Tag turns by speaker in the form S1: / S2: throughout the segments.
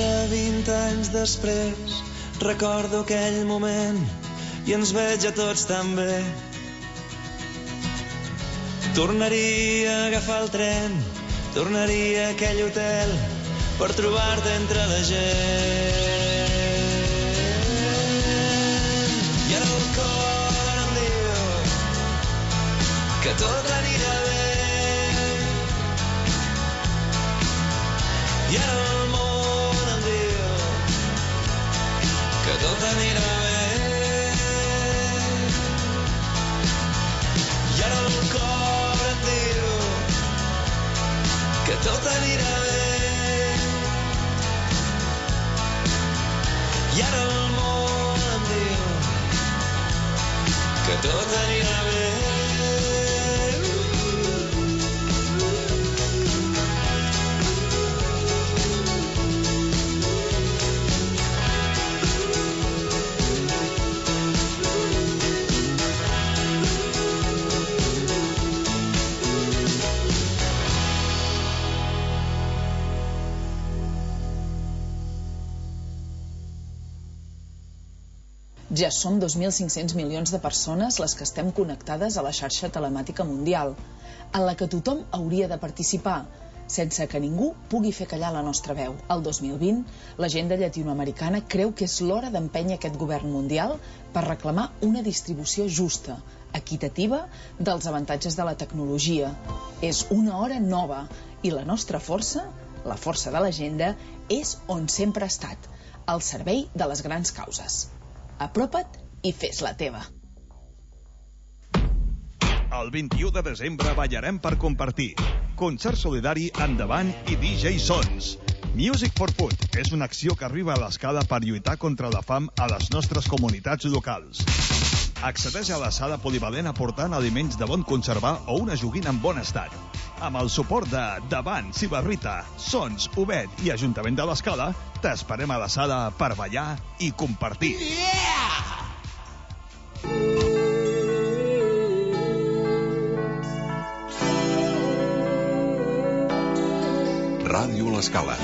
S1: Ara 20 anys després recordo aquell moment i ens veig a tots tan bé. Tornaria a agafar el tren, tornaria a aquell hotel per trobar-te entre la gent. I ara el cor em diu que tot anirà bé. I ara el món em diu que tot anirà bé. I ara el cor em diu que tot anirà bé. I ara el món em diu que tot anirà bé.
S2: Ja som 2.500 milions de persones les que estem connectades a la xarxa telemàtica mundial, en la que tothom hauria de participar, sense que ningú pugui fer callar la nostra veu. El 2020, l'agenda llatinoamericana creu que és l'hora d'empènyer aquest govern mundial per reclamar una distribució justa, equitativa, dels avantatges de la tecnologia. És una hora nova i la nostra força, la força de l'agenda, és on sempre ha estat, al servei de les grans causes. Apropa't i fes-la teva.
S3: El 21 de desembre ballarem per compartir. Concert solidari Endavant i DJ Sons. Music for Food és una acció que arriba a l'Escala per lluitar contra la fam a les nostres comunitats locals. Accedeix a la sala polivalent aportant aliments de bon conservar o una joguina en bon estat. Amb el suport de Davant, Cibarrita, Sons, Obed i Ajuntament de l'Escala, t'esperem a la sala per ballar i compartir.
S4: Ràdio L'Escala.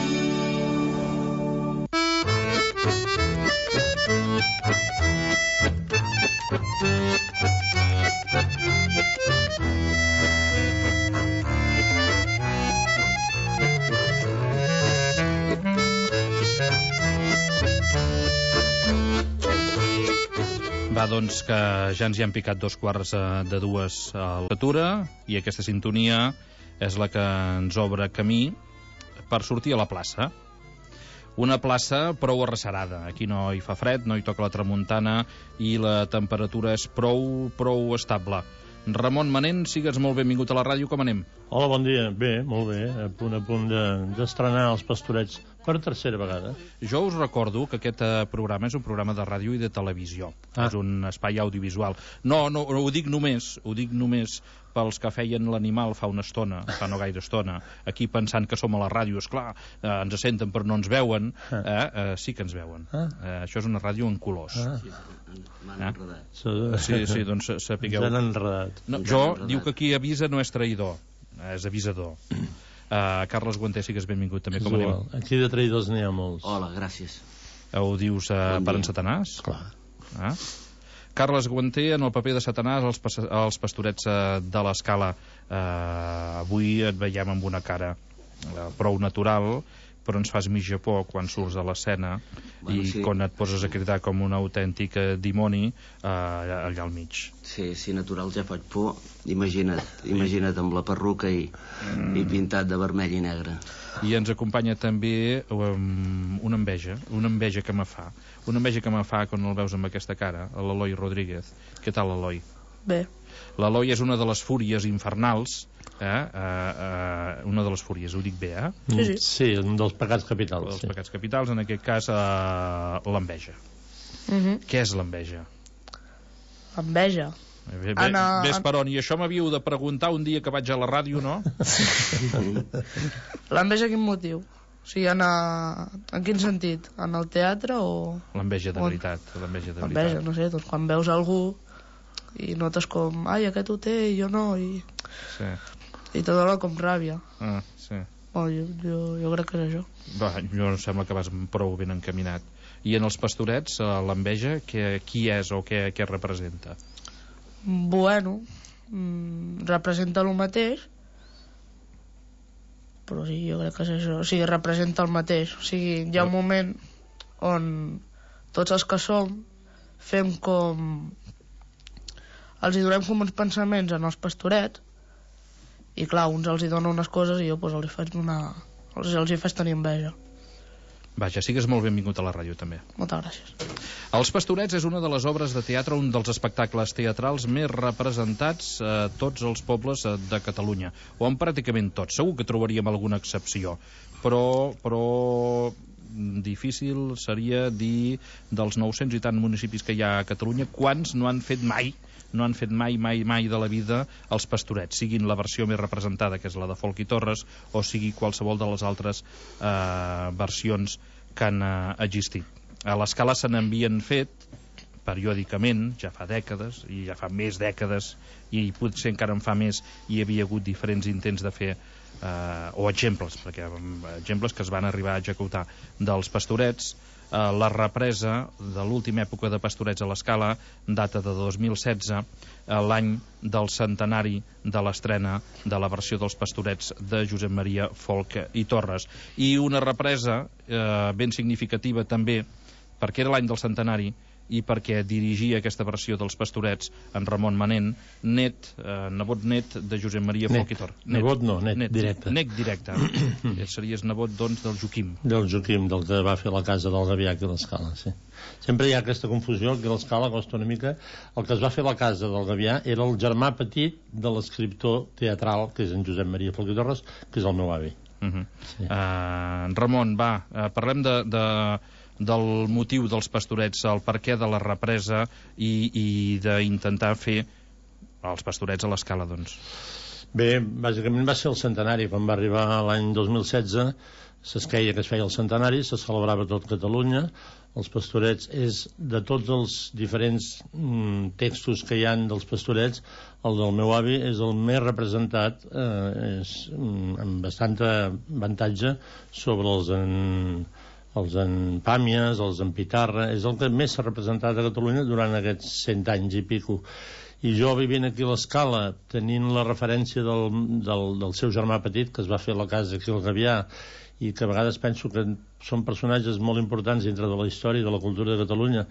S5: Va, doncs, que ja ens hi han picat 2:45 a l'atura i aquesta sintonia és la que ens obre camí per sortir a la plaça. Una plaça prou arrecerada. Aquí no hi fa fred, no hi toca la tramuntana i la temperatura és prou estable. Ramon Manent, sigues molt benvingut a la ràdio, com anem?
S6: Hola, bon dia. Bé, molt bé. A punt d'estrenar els Pastorets per tercera vegada.
S5: Jo us recordo que aquest programa és un programa de ràdio i de televisió. És un espai audiovisual. No ho dic només pels que feien l'animal fa una estona, fa no gaire estona, aquí pensant que som a la ràdio. Esclar, ens senten però no ens veuen. Sí que ens veuen. Això és una ràdio en colors.
S7: M'han enredat.
S5: Sí, doncs sapigueu.
S6: Ens han enredat.
S5: Jo diu que qui avisa no és traïdor, és avisador. Carles Guanter, sigues benvingut també, com anem?
S6: Aquí de traïdors n'hi ha molts.
S7: Hola, gràcies.
S5: Ho dius per en Satanàs?
S6: Clar.
S5: Carles Guanter, en el paper de Satanàs, els Pastorets de l'Escala. Avui et veiem amb una cara prou natural, però ens fas mitja por quan surts a l'escena i quan et poses a cridar com un autèntic dimoni allà al mig.
S7: Sí, natural, ja faig por. Imagina't amb la perruca i pintat de vermell i negre.
S5: I ens acompanya també una enveja que me fa. Una enveja que me fa quan el veus amb aquesta cara, l'Eloi Rodríguez. Què tal, Eloi?
S8: Bé.
S5: L'Eloi és una de les fúries infernals, una de les fúries, ho dic bé,
S6: Sí, un dels pecats capitals.
S5: Pecats capitals, en aquest cas, l'enveja. Què és l'enveja?
S8: Enveja?
S5: Ves per on, i això m'havíeu de preguntar un dia que vaig a la ràdio, no?
S8: L'enveja quin motiu? O sigui, en quin sentit? En el teatre o...?
S5: L'enveja de veritat.
S8: L'enveja, no sé, doncs quan veus algú i notes com, ai, aquest ho té i jo no, i tot allò com ràbia.
S5: Sí.
S8: Jo crec que és això.
S5: Jo em sembla que vas prou ben encaminat. I en els pastorets, l'enveja, qui és o què representa?
S8: Bueno, representa el mateix, però sí, jo crec que és això. O sigui, representa el mateix. O sigui, hi ha un moment on tots els que som fem com... els hi donem com uns pensaments en els pastorets i clar, uns els hi donen unes coses i jo pues, els hi faig tenir enveja.
S5: Vaja, sigues molt benvingut a la ràdio també.
S8: Moltes gràcies.
S5: Els Pastorets és una de les obres de teatre, un dels espectacles teatrals més representats a tots els pobles de Catalunya, o en pràcticament tots. Segur que trobaríem alguna excepció, però difícil seria dir dels 900 i tant municipis que hi ha a Catalunya quants no han fet mai de la vida els Pastorets, siguin la versió més representada, que és la de Folch i Torres, o sigui qualsevol de les altres versions que han existit. A l'Escala se n'havien fet periòdicament, ja fa dècades, i ja fa més dècades, i potser encara en fa més, hi havia hagut diferents intents de fer o exemples, perquè exemples que es van arribar a executar dels Pastorets. La represa de l'última època de Pastorets a l'Escala data de 2016, l'any del centenari de l'estrena de la versió dels Pastorets de Josep Maria Folch i Torres, i una represa ben significativa també perquè era l'any del centenari i perquè dirigia aquesta versió dels Pastorets en Ramon Manent, nebot net de Josep Maria Folch i Torres.
S6: Nebot no, net directe.
S5: Net directe. Series nebot, doncs, del Joaquim.
S6: Del Joaquim, del que va fer la casa del Gavià aquí a l'Escala, sí. Sempre hi ha aquesta confusió, que a l'Escala costa una mica. El que es va fer la casa del Gavià era el germà petit de l'escriptor teatral, que és en Josep Maria Folch i Torres, que és el meu avi.
S5: Sí. Ramon, parlem del motiu dels Pastorets, el perquè de la represa i d'intentar fer els Pastorets a l'Escala, doncs.
S6: Bé, bàsicament va ser el centenari. Quan va arribar l'any 2016 s'esqueia que es feia el centenari, se celebrava tot Catalunya. Els Pastorets és, de tots els diferents textos que hi han dels Pastorets, el del meu avi és el més representat, amb bastant avantatge sobre els en Pàmies, els en Pitarra. És el que més s'ha representat a Catalunya durant aquests 100 anys i pico. I jo, vivint aquí a l'Escala, tenint la referència del seu germà petit, que es va fer la casa aquí al Gavià, i que a vegades penso que són personatges molt importants dintre de la història i de la cultura de Catalunya,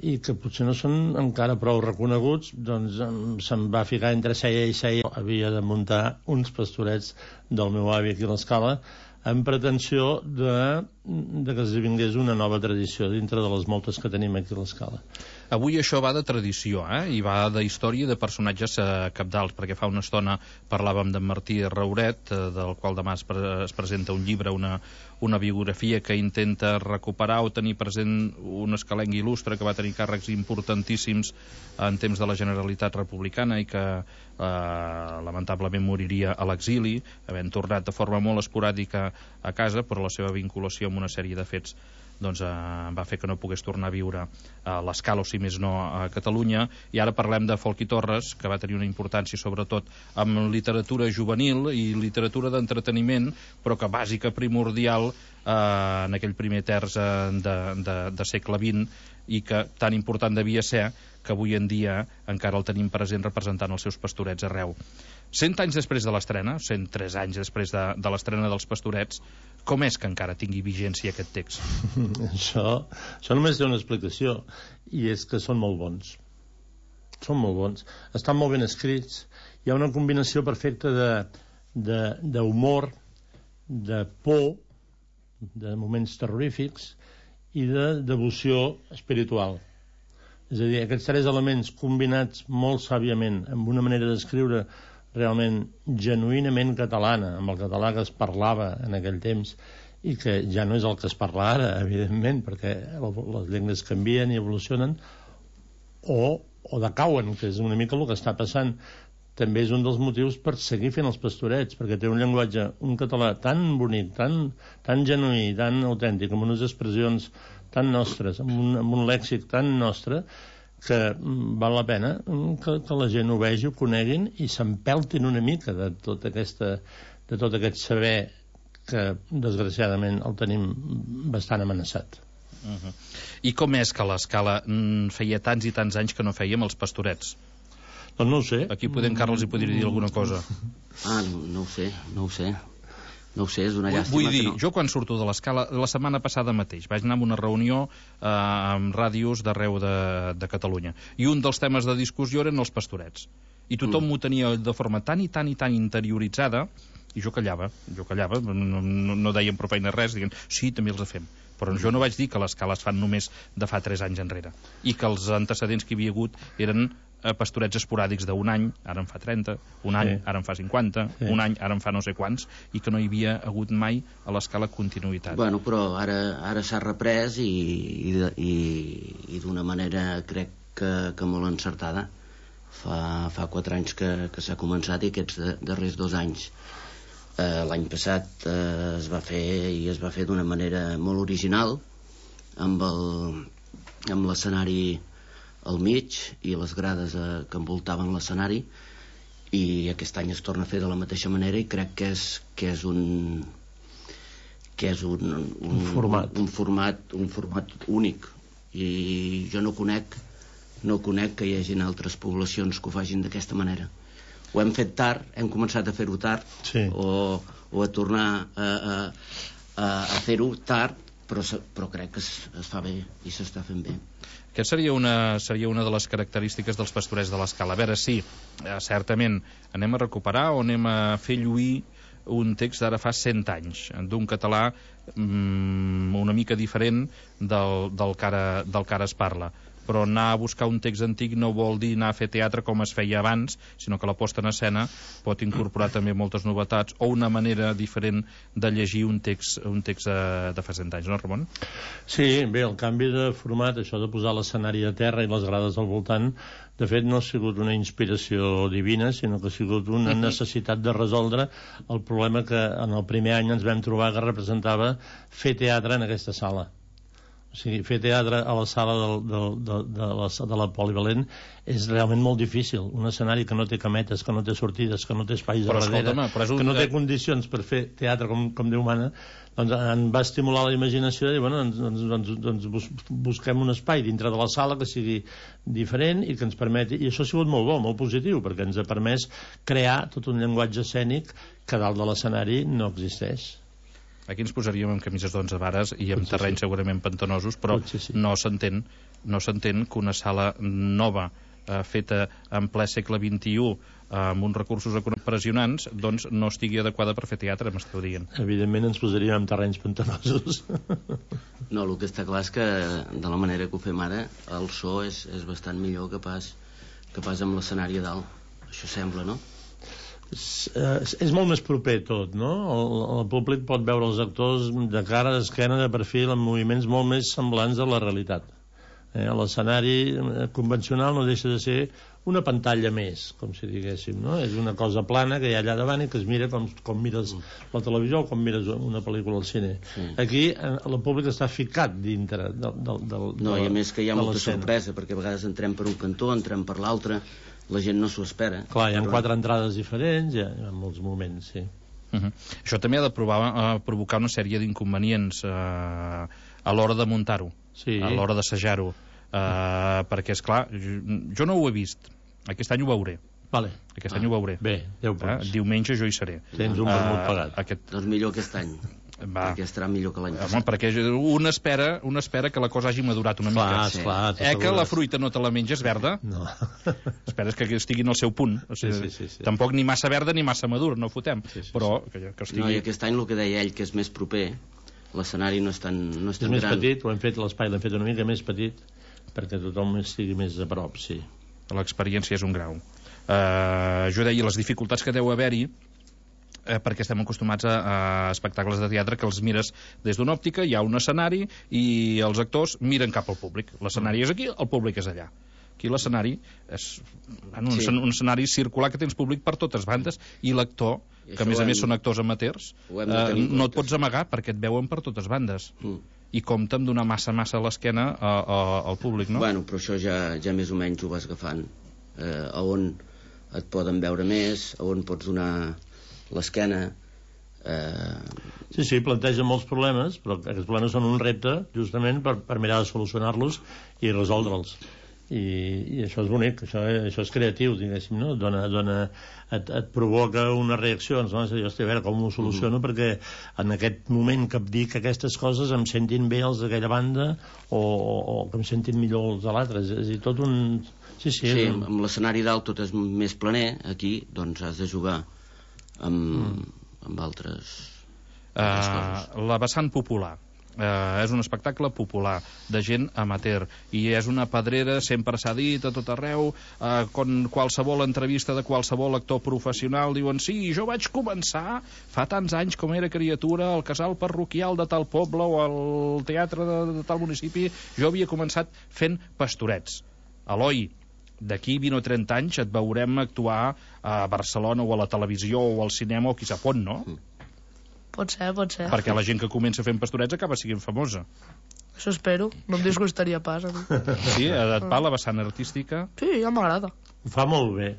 S6: i que potser no són encara prou reconeguts, doncs se'm va ficar entre ceia i ceia. Havia de muntar uns Pastorets del meu avi aquí a l'Escala, en pretensió de que es vingués una nova tradició dintre de les moltes que tenim aquí a l'Escala.
S5: Avui això va de tradició, i va de història i de personatges cabdals, perquè fa una estona parlàvem d'en Martí Rauret, del qual demà es presenta un llibre, una biografia que intenta recuperar o tenir present un escalenc il·lustre que va tenir càrrecs importantíssims en temps de la Generalitat Republicana i que lamentablement moriria a l'exili, havent tornat de forma molt esporàdica a casa, però la seva vinculació amb una sèrie de fets doncs va fer que no pogués tornar a viure a l'Escala, o si més no a Catalunya. I ara parlem de Folch i Torres, que va tenir una importància sobretot amb literatura juvenil i literatura d'entreteniment, però que bàsica, primordial en aquell primer terç de segle XX, i que tan important devia ser que avui en dia encara el tenim present representant els seus Pastorets arreu. 100 anys després de l'estrena, 103 anys després de l'estrena dels Pastorets, com és que encara tingui vigència aquest text?
S6: Això només té una explicació, i és que són molt bons. Són molt bons. Estan molt ben escrits. Hi ha una combinació perfecta d'humor, de por, de moments terrorífics i de devoció espiritual. És a dir, aquests tres elements combinats molt sàviament amb una manera d'escriure realment genuïnament catalana, amb el català que es parlava en aquell temps i que ja no és el que es parla ara, evidentment, perquè les llengües canvien i evolucionen o decauen, que és una mica el que està passant. També és un dels motius per seguir fent els Pastorets, perquè té un llenguatge, un català tan bonic, tan genuí, tan autèntic, amb unes expressions tan nostres, amb un lèxic tan nostre, que val la pena que la gent ho vegi, ho coneguin i s'empeltin una mica de tot aquest saber que desgraciadament el tenim bastant amenaçat.
S5: I com és que l'Escala feia tants i tants anys que no fèiem els Pastorets?
S6: Doncs no ho sé.
S5: Aquí Carles hi podria dir alguna cosa.
S7: No ho sé. No ho sé, és una llàstima.
S5: Vull dir,
S7: que no.
S5: jo quan surto de l'Escala, la setmana passada mateix, vaig anar a una reunió amb ràdios d'arreu de Catalunya, i un dels temes de discussió eren els Pastorets. I tothom m'ho tenia de forma tan i tan interioritzada, i jo callava, no deien prou feina res, dient, sí, també els fem. Però jo no vaig dir que l'Escala es fan només de fa 3 anys enrere, i que els antecedents que hi havia hagut eren pastorets esporàdics d'un any, ara en fa 30, un any, ara en fa 50, un any, ara en fa no sé quants, i que no hi havia hagut mai a l'Escala continuïtat.
S7: Bueno, però ara s'ha reprès i d'una manera crec que molt encertada. Fa 4 anys que s'ha començat, i aquests darrers 2 anys l'any passat es va fer d'una manera molt original, amb l'escenari al mig i les grades que envoltaven l'escenari, i aquest any es torna a fer de la mateixa manera, i crec que és un format únic, i jo no conec que hi hagin altres poblacions que ho facin d'aquesta manera. Ho hem fet tard, hem començat a fer-ho tard, o a tornar a fer-ho tard, però crec que es fa bé i s'està fent bé.
S5: Aquesta seria una de les característiques dels Pastorets de l'Escala. A veure si, certament, anem a recuperar o anem a fer lluir un text d'ara fa 100 anys, d'un català una mica diferent del que ara es parla. Però anar a buscar un text antic no vol dir anar a fer teatre com es feia abans, sinó que la posta en escena pot incorporar també moltes novetats o una manera diferent de llegir un text de fa 100 anys, no, Ramon?
S6: Sí, bé, el canvi de format, això de posar l'escenari a terra i les grades al voltant, de fet no ha sigut una inspiració divina, sinó que ha sigut una necessitat de resoldre el problema que en el primer any ens vam trobar que representava fer teatre en aquesta sala. O sigui, fer teatre a la sala de la Polivalent és realment molt difícil. Un escenari que no té cametes, que no té sortides, que no té espais a darrere, que no té condicions per fer teatre com Déu mana, doncs em va estimular la imaginació i bueno, doncs busquem un espai dintre de la sala que sigui diferent i que ens permeti, i això ha sigut molt bo, molt positiu, perquè ens ha permès crear tot un llenguatge escènic que dalt de l'escenari no existeix.
S5: Aquí ens posaríem amb camises d'11 vares i amb terrenys segurament pantanosos, però no s'entén que una sala nova feta en ple segle XXI amb uns recursos impressionants doncs no estigui adequada per fer teatre, m'esteu dient.
S6: Evidentment ens posaríem amb terrenys pantanosos.
S7: No, el que està clar és que de la manera que ho fem ara el so és bastant millor que pas amb l'escenari a dalt. Això sembla, no?
S6: És molt més proper tot, no? El públic pot veure els actors de cara, d'esquena, de perfil, amb moviments molt més semblants a la realitat. L'escenari convencional no deixa de ser una pantalla més, com si diguéssim, no? És una cosa plana que hi ha allà davant i que es mira com mires la televisió o com mires una pel·lícula al cine. Aquí el públic està ficat dintre
S7: no, i a més que hi ha molta sorpresa, perquè a vegades entrem per un cantó, entrem per l'altre, la gent no s'ho espera.
S6: Clar, hi ha 4 entrades diferents, hi ha molts moments, sí.
S5: Això també ha de provocar una sèrie d'inconvenients a l'hora de muntar-ho, a l'hora d'assajar-ho, perquè, esclar, jo no ho he vist, aquest any ho veuré. Aquest any ho veuré.
S6: Bé, 10 punts.
S5: Diumenge jo hi seré.
S6: Tens un vermut pagat.
S7: Doncs millor aquest any. Perquè estarà millor que l'any passat.
S5: Perquè un espera que la cosa hagi madurat una mica. Que la fruita no te la menges verda?
S6: No.
S5: Esperes que estigui en el seu punt. Tampoc ni massa verda ni massa madur, no fotem. Però que estigui...
S7: No, i aquest any el que deia ell, que és més proper, l'escenari no és tan gran.
S6: És més petit, ho hem fet, l'espai l'hem fet una mica més petit, perquè tothom estigui més a prop, sí.
S5: L'experiència és un grau. Jo deia, les dificultats que deu haver-hi, perquè estem acostumats a espectacles de teatre que els mires des d'una òptica, hi ha un escenari i els actors miren cap al públic. L'escenari és aquí, el públic és allà. Aquí l'escenari és un escenari circular que tens públic per totes bandes i l'actor, que a més són actors amateurs, no et pots amagar perquè et veuen per totes bandes. I compta amb donar massa a l'esquena al públic, no?
S7: Bueno, però això ja més o menys ho vas agafant. A on et poden veure més, a on pots donar l'esquena,
S6: Sí, planteja molts problemes, però aquests problemes són un repte justament per mirar de solucionar-los i resoldre'ls. I això és bonic, això és creatiu, diguéssim, no? Et provoca unes reaccions, no? És a dir, hosti, a veure com ho soluciono perquè en aquest moment que dic aquestes coses em sentin bé els d'aquella banda o que em sentin millor els de l'altre. És a dir, tot un... Sí,
S7: amb l'escenari dalt tot és més planer, aquí doncs has de jugar amb altres coses.
S5: La vessant popular. És un espectacle popular de gent amateur i és una pedrera, sempre s'ha dit a tot arreu, qualsevol entrevista de qualsevol actor professional diuen sí, jo vaig començar fa tants anys com era criatura al casal parroquial de tal poble o al teatre de tal municipi, jo havia començat fent pastorets. Eloi, d'aquí 20 o 30 anys et veurem actuar a Barcelona o a la televisió o al cinema o qui sap on, no?
S8: Pot ser.
S5: Perquè la gent que comença fent pastorets acaba sent famosa.
S8: Això espero, no em disgustaria pas a mi.
S5: Sí, et va la vessant artística?
S8: Sí, ja m'agrada.
S6: Ho fa molt bé.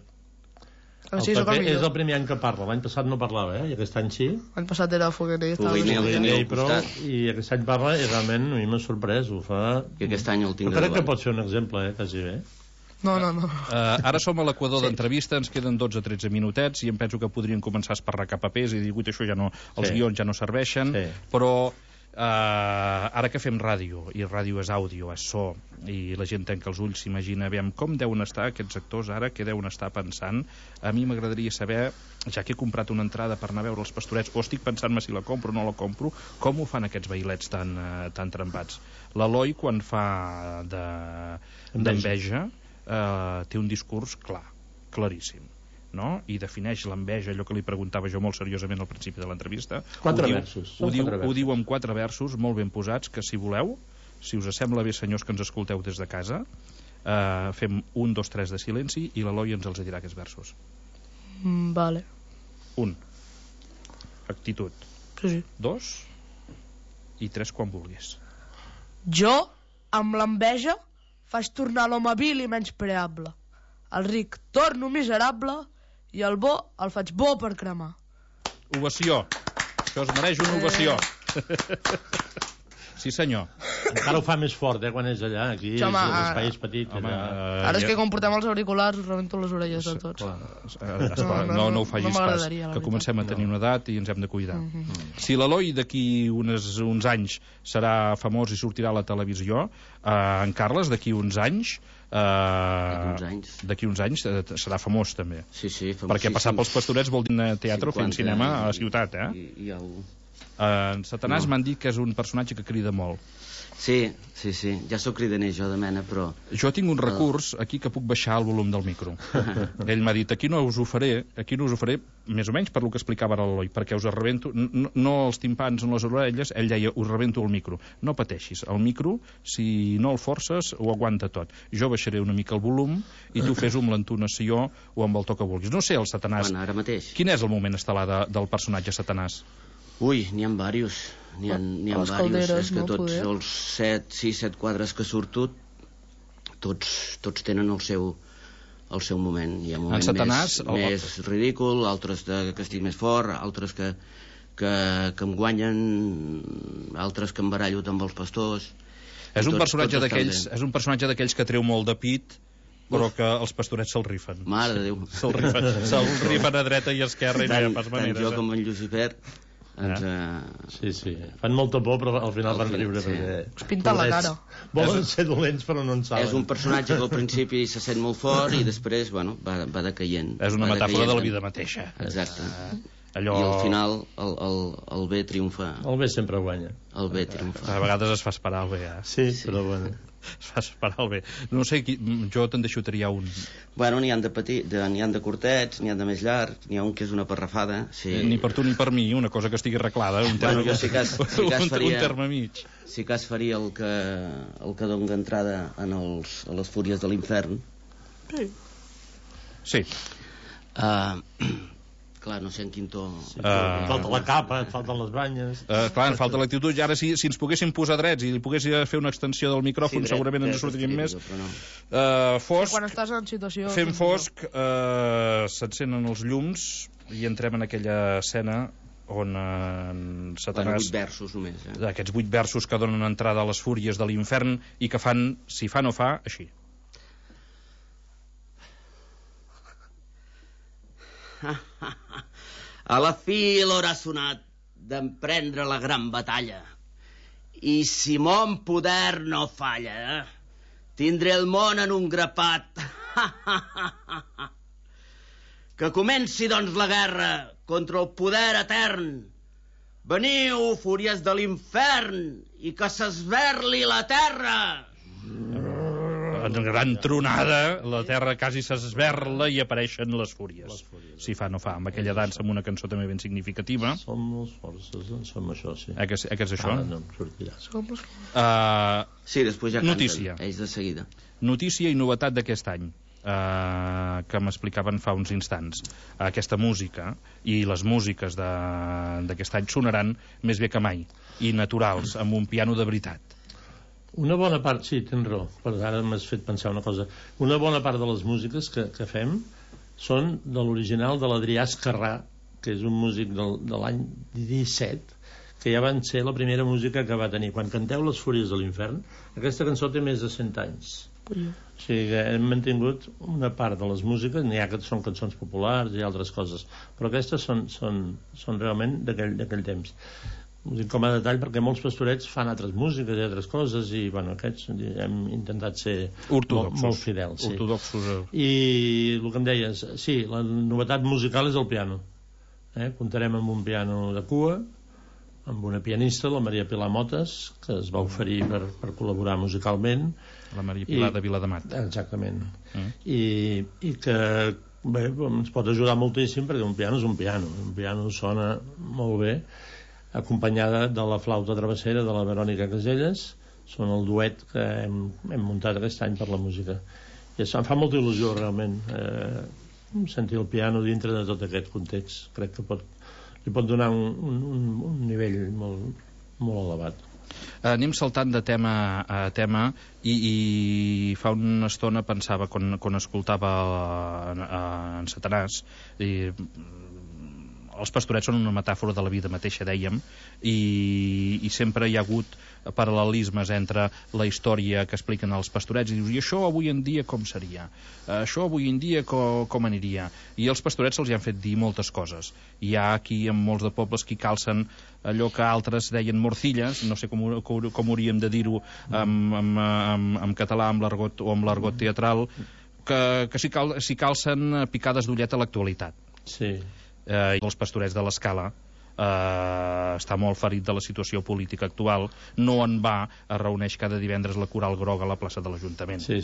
S8: Sí,
S6: és el primer any que parla, l'any passat no parlava, i aquest any sí.
S8: L'any passat era Foguener,
S6: i aquest any parla i realment a mi m'ha sorprès, ho fa...
S7: I aquest any el tinc
S6: crec que pot ser un exemple, quasi bé.
S8: No.
S5: Ara som a l'equador d'entrevista, ens queden 12-13 minutets i em penso que podrien començar a esparracar papers i dir, això ja no, els guions ja no serveixen, però ara que fem ràdio, i ràdio és àudio, és so, i la gent tanca els ulls, s'imagina, aviam, com deuen estar aquests actors ara, què deuen estar pensant. A mi m'agradaria saber, ja que he comprat una entrada per anar a veure els pastorets, o estic pensant-me si la compro o no la compro, com ho fan aquests bailets tan trempats. L'Eloi, quan fa d'enveja, té un discurs claríssim, no? I defineix l'enveja, allò que li preguntava jo molt seriosament al principi de l'entrevista.
S6: 4 versos.
S5: Ho diu amb 4 versos molt ben posats, que si voleu, si us sembla bé, senyors que ens escolteu des de casa, fem 1, 2, 3 de silenci i l'Eloi ens els dirà aquests versos.
S8: Vale.
S5: 1. Actitud.
S8: Sí.
S5: 2 i 3 quan vulguis.
S8: Jo, amb l'enveja, faig tornar l'home vil i menyspreable. El ric torno miserable i el bo el faig bo per cremar.
S5: Ovació. Això es mereix una ovació. Sí, senyor.
S6: Encara ho fa més fort, quan és allà. Aquí l'espai és petit.
S8: Ara és que quan portem els auriculars us rebento les orelles de tots.
S5: No ho facis pas, que comencem a tenir una edat i ens hem de cuidar. Si l'Eloi d'aquí uns anys serà famós i sortirà a la televisió, en Carles d'aquí uns anys serà famós també.
S7: Sí,
S5: perquè passar pels pastorets vol dir teatre o fent cinema a la ciutat, en Satanàs m'han dit que és un personatge que crida molt.
S7: Sí, ja sóc cridaner jo de mena, però...
S5: Jo tinc un recurs aquí que puc baixar el volum del micro. Ell m'ha dit, aquí no us ho faré, més o menys per lo que explicava ara l'Eloi, perquè us rebento, no els timpans en les orelles, ell deia, us rebento el micro. No pateixis, el micro, si no el forces, ho aguanta tot. Jo baixaré una mica el volum i tu fes-ho amb l'entonació o amb el to que vulguis. No sé, el Satanàs...
S7: Ara mateix.
S5: Quin és el moment estel·lar del personatge Satanàs?
S7: Ui, n'hi ha diversos. N'hi ha diversos. És que tots els 7 quadres que surto, tots tenen el seu moment. Hi ha moments més ridícul, altres que estic més fort, altres que em guanyen, altres que em barallo amb els pastors.
S5: És un personatge d'aquells que treu molt de pit, però que els pastorets se'l rifen.
S7: Mare de Déu.
S5: Se'l rifen a dreta i a esquerra i no hi ha pas manera.
S7: Tant jo com en Lucifer...
S6: Sí, fan molta por però al final van riure perquè
S8: es pinten la cara,
S6: volen ser dolents però no en saben.
S7: És un personatge que al principi se sent molt fort i després va decaient.
S5: És una metàfora de la vida mateixa.
S7: Exacte. I al final el bé triomfa.
S6: El bé sempre guanya.
S7: El bé triomfa.
S5: A vegades es fa esperar el bé,
S6: Sí, però bueno,
S5: es fa esperar el bé. No sé, jo te'n deixo triar un.
S7: Bueno, n'hi han de petits, n'hi han de curtets, n'hi han de més llargs, n'hi ha un que és una parrafada.
S5: Ni per tu ni per mi, una cosa que estigui arreglada. Un terme mig.
S7: Si cas faria el que dona entrada a les fúries de l'infern.
S5: Sí.
S7: Clar, no sé en quin to...
S6: falta la capa, et falten les banyes...
S5: Clar, en falta l'actitud. I ara, si ens poguéssim posar drets i li pogués fer una extensió del micròfon, segurament ens sortiríem més. Fosc,
S8: quan estàs en situació...
S5: Fem fosc, s'encenen els llums i entrem en aquella escena on Satanàs...
S7: 8 versos només,
S5: Aquests 8 versos que donen entrada a les fúries de l'infern i que fan, si fa no fa, així.
S7: A la fi l'hora ha sonat d'emprendre la gran batalla. I si mon poder no falla, tindré el món en un grapat. Que comenci, doncs, la guerra contra el poder etern. Veniu, fúries de l'infern, i que s'esberli la terra.
S5: En gran tronada, la terra quasi s'esberla i apareixen les fúries. Si fa no fa, amb aquella dansa, amb una cançó també ben significativa.
S6: Som les forces, som això, sí.
S5: Que és això?
S6: No em sortirà.
S7: Sí, després ja canten,
S5: notícia.
S7: Ells de seguida.
S5: Notícia i novetat d'aquest any, que m'explicaven fa uns instants. Aquesta música i les músiques d'aquest any sonaran més bé que mai, i naturals, amb un piano de veritat.
S6: Una bona part, sí, tens raó, però ara m'has fet pensar una cosa. Una bona part de les músiques que fem són de l'original de l'Adrià Esquerrà, que és un músic de l'any 17, que ja van ser la primera música que va tenir. Quan canteu Les Fúries de l'Infern, aquesta cançó té més de 100 anys. O sigui que hem mantingut una part de les músiques, n'hi ha que són cançons populars i altres coses, però aquestes són realment d'aquell temps. Ho dic com a detall perquè molts pastorets fan altres músiques i altres coses i bueno, aquests hem intentat ser molt fidels, sí. I el que em deies, sí, la novetat musical és el piano, comptarem amb un piano de cua, amb una pianista, la Maria Pilar Motes, que es va oferir per col·laborar musicalment,
S5: la Maria Pilar de Vilademat,
S6: exactament, i que bé, ens pot ajudar moltíssim perquè un piano és un piano sona molt bé, acompanyada de la flauta travessera de la Verònica Caselles. Són el duet que hem muntat aquest any per la música i em fa molta il·lusió realment sentir el piano dintre de tot aquest context. Crec que li pot donar un nivell molt, molt elevat.
S5: Anem saltant de tema a tema i fa una estona pensava quan escoltava en Satanàs i els pastorets són una metàfora de la vida mateixa, dèiem, i sempre hi ha hagut paral·lelismes entre la història que expliquen els pastorets i dius, i això avui en dia com seria? Això avui en dia com aniria? I els pastorets se'ls hi han fet dir moltes coses. Hi ha aquí en molts de pobles qui calcen allò que altres deien morcilles, no sé com hauríem de dir-ho en català amb l'argot o amb l'argot teatral, que s'hi calcen picades d'ullet a l'actualitat.
S6: Sí.
S5: I els pastorets de l'Escala està molt ferit de la situació política actual, no en va, es reuneix cada divendres la Coral Groga a la plaça de l'Ajuntament.
S6: Sí.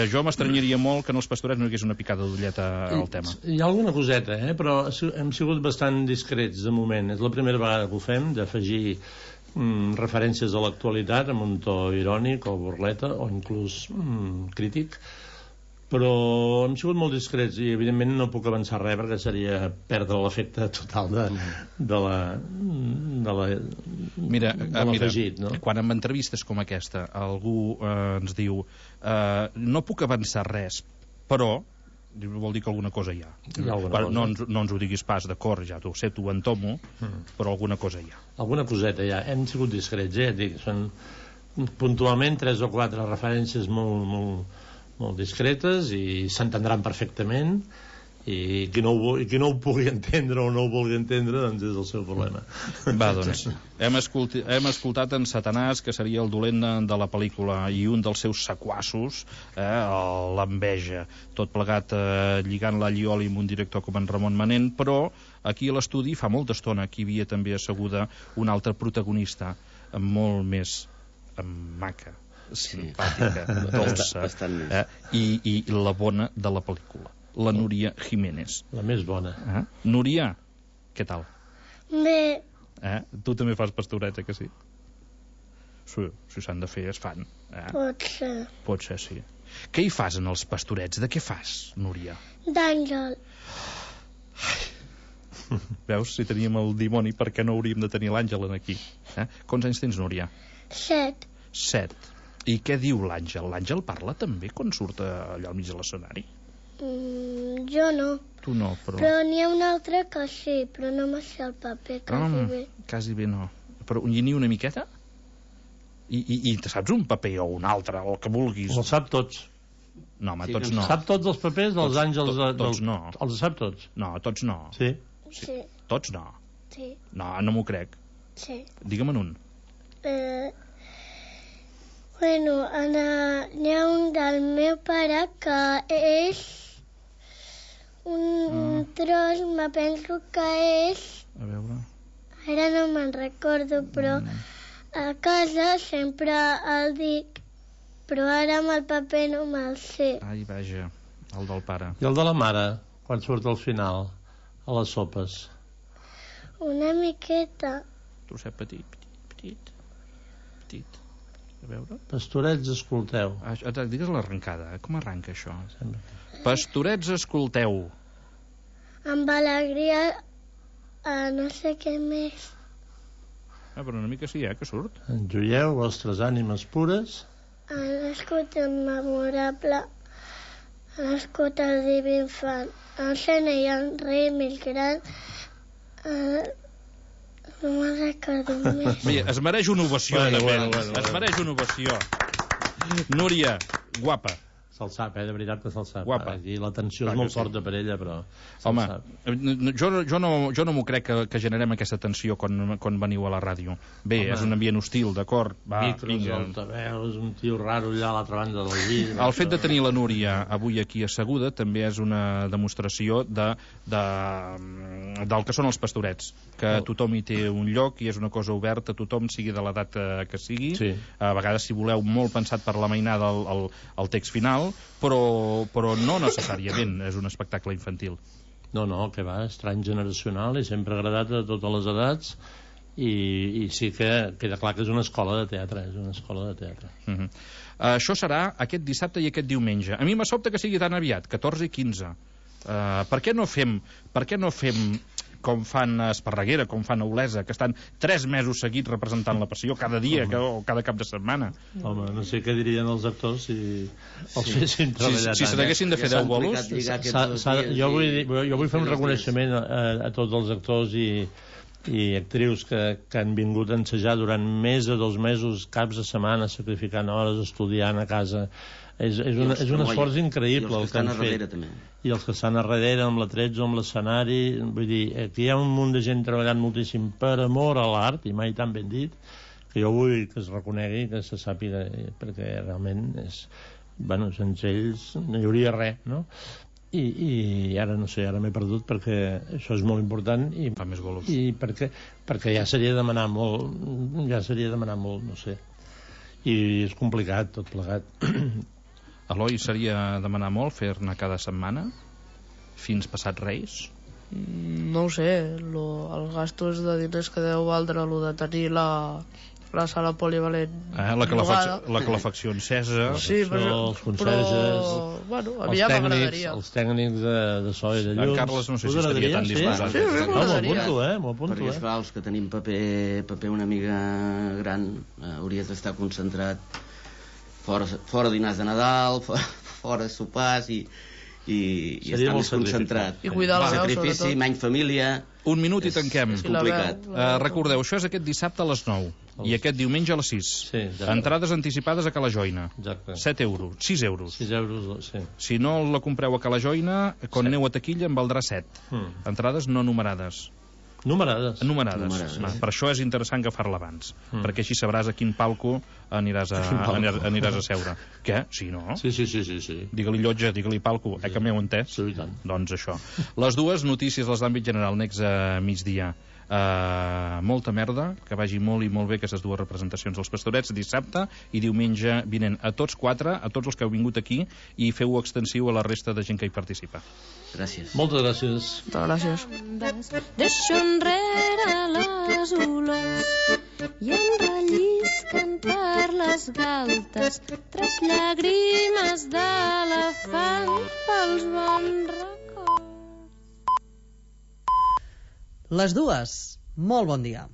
S5: Jo m'estranyaria molt que en els pastorets no hi hagués una picada d'ullet al tema.
S6: Hi ha alguna coseta, però hem sigut bastant discrets de moment. És la primera vegada que ho fem, d'afegir referències a l'actualitat amb un to irònic o burleta o inclús crític, però hem sigut molt discrets i evidentment no puc avançar res perquè seria perdre l'efecte total de l'afegit, no?
S5: Quan en entrevistes com aquesta algú ens diu no puc avançar res, però vol dir que alguna cosa hi ha. No ens ho diguis pas, d'acord, ja t'ho sé, t'ho entomo, però alguna cosa hi ha.
S6: Alguna coseta hi ha. Hem sigut discrets, dic, són puntualment 3 o 4 referències molt discretes i s'entendran perfectament i qui no ho pugui entendre o no ho vulgui entendre doncs és el seu problema.
S5: Va, doncs hem escoltat en Satanàs, que seria el dolent de la pel·lícula, i un dels seus sequassos, l'enveja, tot plegat lligant la Llioli amb un director com en Ramon Manent, però aquí a l'estudi fa molta estona que hi havia també asseguda una altra protagonista molt més maca, simpàtica, dolça, i la bona de la pel·lícula, la Núria Jiménez.
S6: La més bona.
S5: Núria, què tal?
S4: Bé.
S5: Tu també fas pastorets, que sí? Sí, si s'han de fer, es fan. Pot ser, sí. Què hi fas en els pastorets? De què fas, Núria?
S4: D'àngel.
S5: Veus, si teníem el dimoni, per què no hauríem de tenir l'àngel aquí? Quants anys tens, Núria?
S4: 7.
S5: I què diu l'àngel? L'àngel parla també quan surt allò al mig de l'escenari?
S4: Jo no.
S5: Tu no, però...
S4: Però n'hi ha un altre que sí, però no me sé el paper, quasi bé.
S5: Quasi bé no. Però ni una miqueta? I te saps un paper o un altre, el que vulguis?
S6: Els sap tots.
S5: No, home, tots no.
S6: Sap tots els papers dels àngels...
S5: Tots no.
S6: Els sap tots?
S5: No, tots no.
S6: Sí?
S4: Sí.
S5: Tots no?
S4: Sí.
S5: No, no m'ho crec.
S4: Sí.
S5: Digue'm un.
S4: Bueno, n'hi ha un del meu pare que és un tros, me penso que és...
S5: A veure...
S4: Ara no me'n recordo, però a casa sempre el dic, però ara amb el paper no me'l sé.
S5: Ai, vaja, el del pare.
S6: I el de la mare, quan surt al final, a les sopes?
S4: Una miqueta.
S5: Trosset petit. A veure...
S6: Pastorets, escolteu.
S5: Digues l'arrencada, com arranca això? Pastorets, escolteu.
S4: Amb alegria, no sé què més.
S5: Però una mica sí, que surt.
S6: Enjoieu vostres ànimes pures.
S4: Ha nascut un memorable, ha nascut el diví infant, el sena i el rei més gran, no me'n recordo més.
S5: Mira, es mereix una ovació,
S6: Bueno.
S5: Es mereix una ovació. Núria, guapa.
S6: Se'l sap, de veritat que se'l sap.
S5: Guapa.
S6: I la tensió és molt forta per ella, però...
S5: Home, jo no m'ho crec que generem aquesta tensió quan veniu a la ràdio. Bé, és un ambient hostil, d'acord?
S6: Micros, altaveus, un tio raro allà a l'altra banda del llit...
S5: El fet de tenir la Núria avui aquí asseguda també és una demostració del que són els pastorets, que tothom hi té un lloc i és una cosa oberta, tothom sigui de l'edat que sigui.
S6: Sí.
S5: A vegades, si voleu, molt pensat per la mainada el text final, però no necessàriament és un espectacle infantil.
S6: No, que va, és transgeneracional i sempre ha agradat a totes les edats i sí que queda clar que és una escola de teatre,
S5: Això serà aquest dissabte i aquest diumenge. A mi me sobta que sigui tan aviat, 14 i 15. Per què no fem com fan a Esparreguera, com fan a Olesa, que estan 3 mesos seguits representant la passió cada dia o cada cap de setmana?
S6: Home, no sé què dirien els actors si els fessin treballar tant.
S5: Si se n'haguessin de fer 10 bolos...
S6: Jo vull fer un reconeixement a tots els actors i actrius que han vingut a ensejar durant més de 2 mesos, caps de setmana, sacrificant hores, estudiant a casa. És un esforç increïble el que han fet. I els que estan a darrere amb la 13 o amb l'escenari, vull dir, aquí hi ha un munt de gent treballant moltíssim per amor a l'art, i mai tan ben dit, que jo vull que es reconegui, que se sàpiga, perquè realment sense ells no hi hauria res, no? I ara no sé, ara m'he perdut perquè això és molt important i
S5: fa més bolos.
S6: I perquè ja seria demanar molt, no sé, i és complicat tot plegat.
S5: Eloi, seria demanar molt fer-ne cada setmana fins passat Reis?
S8: No ho sé, els gastos de diners que deu valdre lo de tenir la sala polivalent,
S5: la calefacció encesa,
S8: sí,
S6: els conserges,
S8: els
S6: tècnics de so i de llums.
S5: En Carles no sé si estaria tan disposat.
S6: M'ho apunto,
S7: perquè esclar, els que tenim paper una mica gran hauries d'estar concentrat fora dinars de Nadal, fora sopars i estar més concentrat.
S8: I cuidar la veu,
S7: sacrifici,
S8: sobretot.
S7: menys família.
S5: Un minut i tanquem.
S7: És complicat.
S5: Recordeu, això és aquest dissabte a les 9 i aquest diumenge a les 6.
S6: Sí,
S5: entrades anticipades a Cala Joina.
S6: Exacte.
S5: 7 euros, 6 euros.
S6: 6 euros, sí.
S5: Si no la compreu a Cala Joina, quan aneu a taquilla en valdrà 7. Entrades no numerades.
S6: Numerades.
S5: Per això és interessant agafar-la abans, perquè així sabràs a quin palco aniràs a seure. Què? Sí, no?
S6: Sí.
S5: Digue-li llotja, digue-li palco, que m'heu entès?
S6: Sí, i tant.
S5: Doncs això. Les dues notícies dels d'àmbit general, next a migdia. Molta merda, que vagi molt i molt bé aquestes dues representacions dels Pastorets dissabte i diumenge vinent. A tots 4, a tots els que heu vingut aquí, i feu-ho extensiu a la resta de gent que hi participa.
S7: Gràcies.
S6: Moltes gràcies.
S8: Moltes gràcies.
S9: Deixo enrere les olors i em rellisquen per les galtes 3 llàgrimes d'elefant pels bons records.
S10: Les dues, molt bon dia.